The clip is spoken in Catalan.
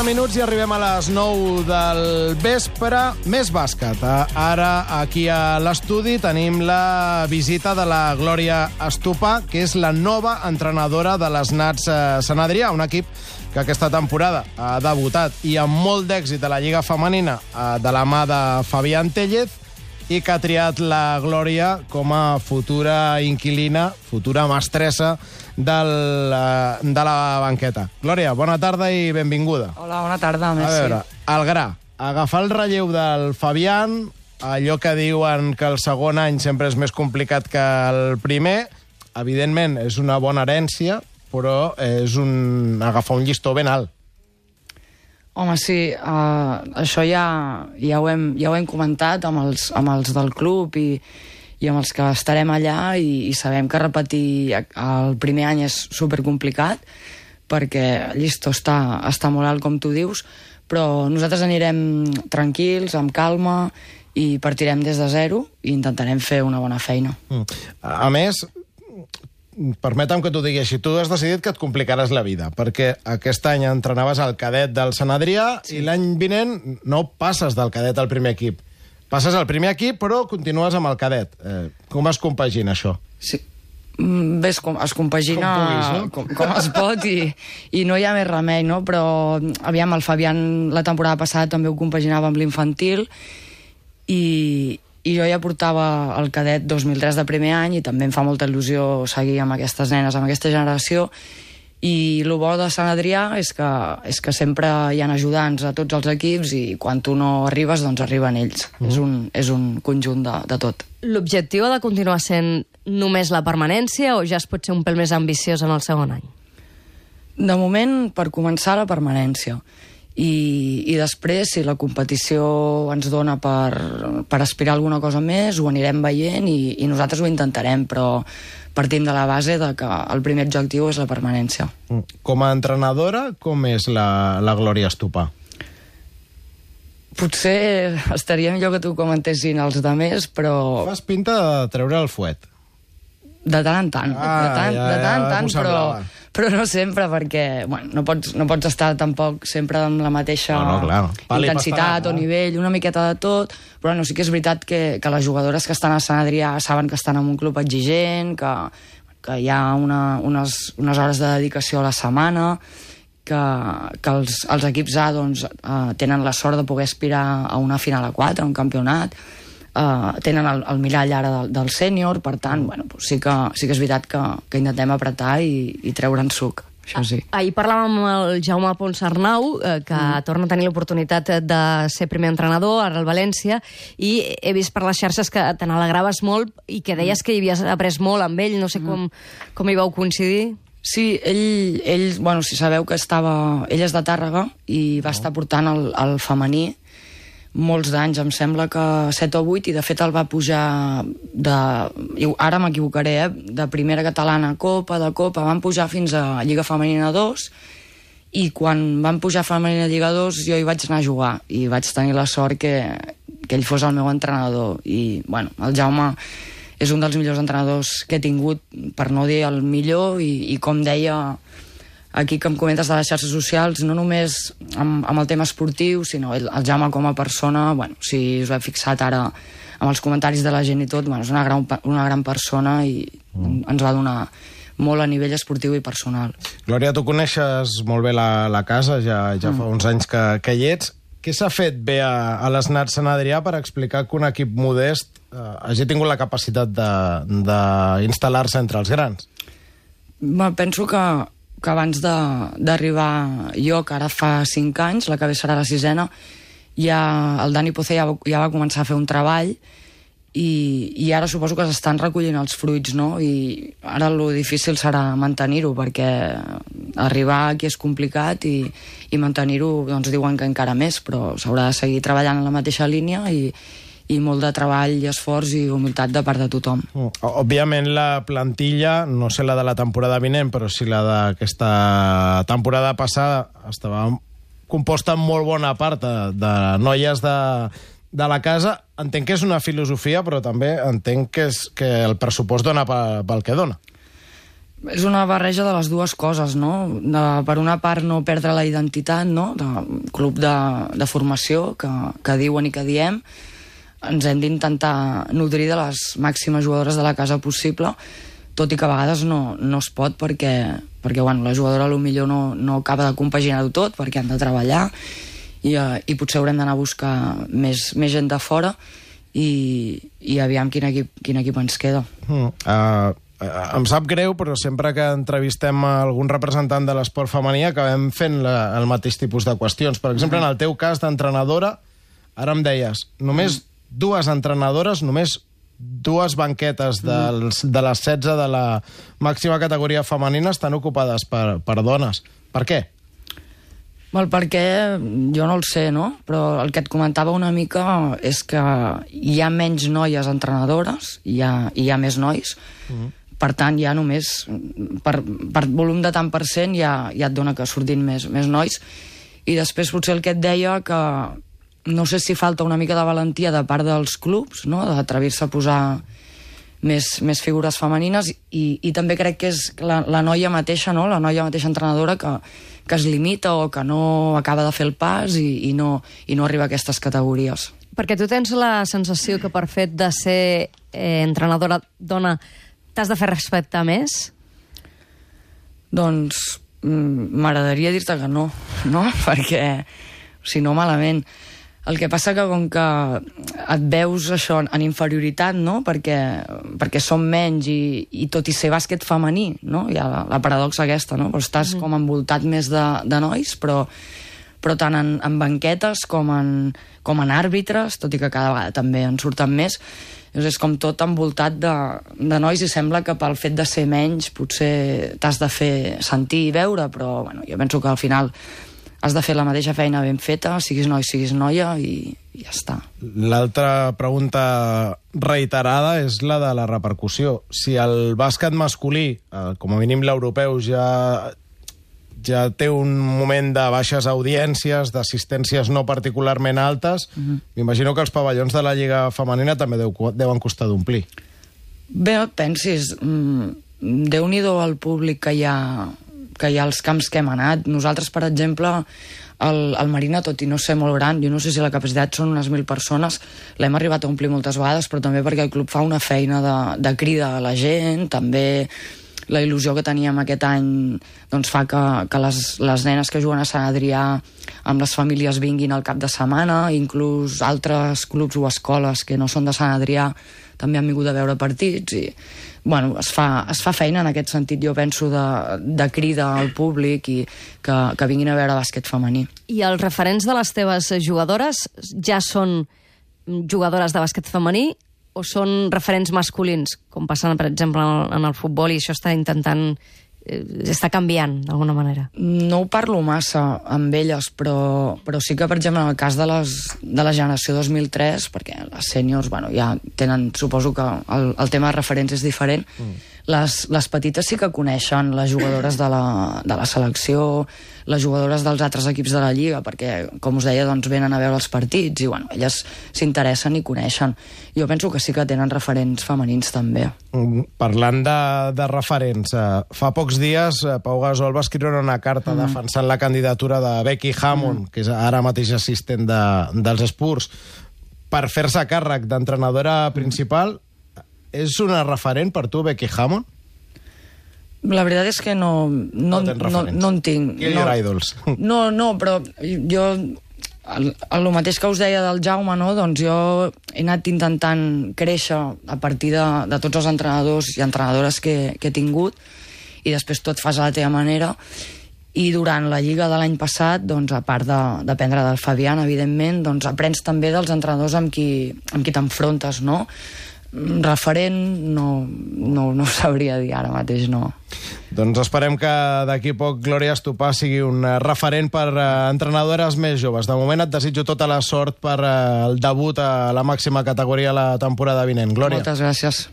Minuts i arribem a les 9 del vespre. Més bàsquet. Ara, aquí a l'estudi, tenim la visita de la Glòria Estupa, que és la nova entrenadora de les Nats Sant Adrià, un equip que aquesta temporada ha debutat i amb molt d'èxit a la Lliga Femenina de la mà de Fabián Tellez, i que ha triat la Glòria com a futura inquilina, futura mestressa de la banqueta. Glòria, bona tarda i benvinguda. Hola, bona tarda, merci. A veure, el gra. Agafar el relleu del Fabián, allò que diuen que el segon any sempre és més complicat que el primer, evidentment és una bona herència, però és agafar un llistó ben alt. Home, sí, això ja ho hem comentat amb els del club i amb els que estarem allà, i sabem que repetir el primer any és supercomplicat perquè el llistó està molt alt, com tu dius, però nosaltres anirem tranquils, amb calma, i partirem des de zero i intentarem fer una bona feina. A més, permetem que t'ho digui així, tu has decidit que et complicaràs la vida, perquè aquest any entrenaves al cadet del Sant Adrià, sí, i l'any vinent no passes del cadet al primer equip. Passes al primer equip, però continues amb el cadet. Com es compagina això? Sí. Bé, es compagina com es pot, i no hi ha més remei, no? Però, aviam, el Fabián la temporada passada també ho compaginava amb l'infantil, i jo ja portava el cadet 2003 de primer any, i també em fa molta il·lusió seguir amb aquestes nenes, amb aquesta generació. I el bo de Sant Adrià és que sempre hi ha ajudants a tots els equips, i quan tu no arribes, doncs arriben ells. És un conjunt de tot. L'objectiu ha de continuar sent només la permanència, o ja es pot ser un pèl més ambiciós en el segon any? De moment, per començar, la permanència. I després, si la competició ens dona per aspirar a alguna cosa més, ho anirem veient i nosaltres ho intentarem, però partim de la base de que el primer objectiu és la permanència. Com a entrenadora, com és la Glòria Estupa? Potser estaria millor que t'ho comentessin els altres, però... Fas pinta de treure el fuet. De tant en tant, però no sempre, perquè no pots estar tampoc sempre amb la mateixa intensitat o nivell, una miqueta de tot, però sí que és veritat que les jugadores que estan a Sant Adrià saben que estan en un club exigent, que hi ha unes hores de dedicació a la setmana, que els equips A tenen la sort de poder aspirar a una final a 4, a un campionat, tenen el mirall ara del sènior, per tant, sí que és veritat que intentem apretar i treure'n suc, això sí. Ahir parlàvem amb el Jaume Ponsarnau, que torna a tenir l'oportunitat de ser primer entrenador ara al València, i he vist per les xarxes que te n'alegraves molt i que deies que hi havies après molt amb ell, no sé com hi vau coincidir. Sí, ell si sabeu que ell és de Tàrrega i va estar portant el femení molts d'anys, em sembla que 7 o 8, i de fet el va pujar ara m'equivocaré, de primera catalana a Copa, de Copa, van pujar fins a Lliga Femenina 2, i quan van pujar a Femenina Lliga 2 jo hi vaig anar a jugar, i vaig tenir la sort que ell fos el meu entrenador, i el Jaume és un dels millors entrenadors que he tingut, per no dir el millor, i com deia aquí que em comentes de les xarxes socials, no només amb el tema esportiu, sinó el Jaume com a persona, si us heu fixat ara amb els comentaris de la gent i tot, és una gran persona i ens va donar molt a nivell esportiu i personal. Glòria, tu coneixes molt bé la casa, ja fa uns anys que hi ets. Què s'ha fet bé a les Nats Sant Adrià per explicar que un equip modest hagi tingut la capacitat d'instal·lar-se entre els grans? Penso que abans d'arribar jo, que ara fa 5 anys, la que ve serà la 6ena, el Dani Poce ja va començar a fer un treball, i ara suposo que s'estan recollint els fruits, no? I ara el difícil serà mantenir-ho, perquè arribar aquí és complicat, i mantenir-ho, diuen que encara més, però s'haurà de seguir treballant en la mateixa línia, i molt de treball i esforç i humilitat de part de tothom. Òbviament la plantilla, no sé la de la temporada vinent, però sí la d'aquesta temporada passada, estava composta en molt bona part de noies de la casa. Entenc que és una filosofia, però també entenc que el pressupost dona pel que dona. És una barreja de les dues coses, no? Per una part, no perdre la identitat, no?, de club de formació que diuen i que diem. Ens hem d'intentar nodrir de les màximes jugadores de la casa possible, tot i que a vegades no es pot perquè bueno, la jugadora potser no acaba de compaginar-ho tot, perquè han de treballar i potser haurem d'anar a buscar més gent de fora i aviam quin equip ens queda. Em sap greu, però sempre que entrevistem algun representant de l'esport femení acabem fent el mateix tipus de qüestions. Per exemple, en el teu cas d'entrenadora, ara em deies, només 2 entrenadores, només 2 banquetes de les 16 de la màxima categoria femenina estan ocupades per dones. Per què? Well, perquè jo no el sé, no? Però el que et comentava una mica és que hi ha menys noies entrenadores, hi ha més nois. Per tant, ja només per volum de tant per cent ja et dona que surtin més nois. I després potser el que et deia que no sé si falta una mica de valentia de part dels clubs, no?, d'atrevir-se a posar més figures femenines i també crec que és la noia mateixa, no?, la noia mateixa entrenadora que es limita o que no acaba de fer el pas i no arriba a aquestes categories. Perquè tu tens la sensació que per fet de ser entrenadora dona t'has de fer respectar més? Doncs m'agradaria dir-te que no? Perquè, si no, malament. El que passa que com que et veus això en inferioritat, no?, perquè som menys i tot i ser bàsquet femení, no?, hi ha la paradoxa aquesta, no?, però estàs com envoltat més de nois, però tant en banquetes com en àrbitres, tot i que cada vegada també en surten més. És com tot envoltat de nois i sembla que pel fet de ser menys potser t'has de fer sentir i veure, però bueno, jo penso que al final has de fer la mateixa feina ben feta, siguis noi, siguis noia i ja està. L'altra pregunta reiterada és la de la repercussió. Si el bàsquet masculí, com a mínim l'europeu, ja té un moment de baixes audiències, d'assistències no particularment altes, m'imagino que els pavellons de la Lliga Femenina també deuen costar d'omplir. Bé, no et pensis, Déu-n'hi-do el públic que hi ha als camps que hem anat. Nosaltres, per exemple, el Marina, tot i no ser molt gran, jo no sé si la capacitat són unes 1.000 persones, l'hem arribat a omplir moltes vegades, però també perquè el club fa una feina de crida a la gent, també la il·lusió que teníem aquest any doncs fa que les nenes que juguen a Sant Adrià amb les famílies vinguin al cap de setmana, inclús altres clubs o escoles que no són de Sant Adrià també han vingut a veure partits i bueno, es fa feina en aquest sentit, jo penso, de crida al públic i que vinguin a veure bàsquet femení. I els referents de les teves jugadores ja són jugadores de bàsquet femení o són referents masculins, com passa, per exemple, en el futbol, i això està canviant, d'alguna manera? No ho parlo massa amb elles, però sí que, per exemple, en el cas de la generació 2003, perquè les sèniors, bueno, ja tenen, suposo que el tema de referents és diferent, les petites sí que coneixen les jugadores de la selecció, les jugadores dels altres equips de la Lliga, perquè, com us deia, doncs venen a veure els partits i, bueno, elles s'interessen i coneixen. Jo penso que sí que tenen referents femenins, també. Parlant de referents, fa pocs dies Pau Gasol va escriure una carta defensant la candidatura de Becky Hammond, que és ara mateix assistent dels Spurs, per fer-se càrrec d'entrenadora principal. És una referent per tu, Becky Hammond? La veritat és que no en tinc. Kill your idols. No, però jo, el mateix que us deia del Jaume, no? Doncs jo he anat intentant créixer a partir de tots els entrenadors i entrenadores que he tingut i després tu et fas a la teva manera. I durant la Lliga de l'any passat, doncs, a part d'aprendre del Fabián, evidentment, doncs aprens també dels entrenadors amb qui t'enfrontes, no? Referent no sabria dir ara mateix, no. Doncs esperem que d'aquí poc Glòria Estopà sigui un referent per entrenadores més joves. De moment et desitjo tota la sort per el debut a la màxima categoria la temporada vinent. Glòria. Moltes gràcies.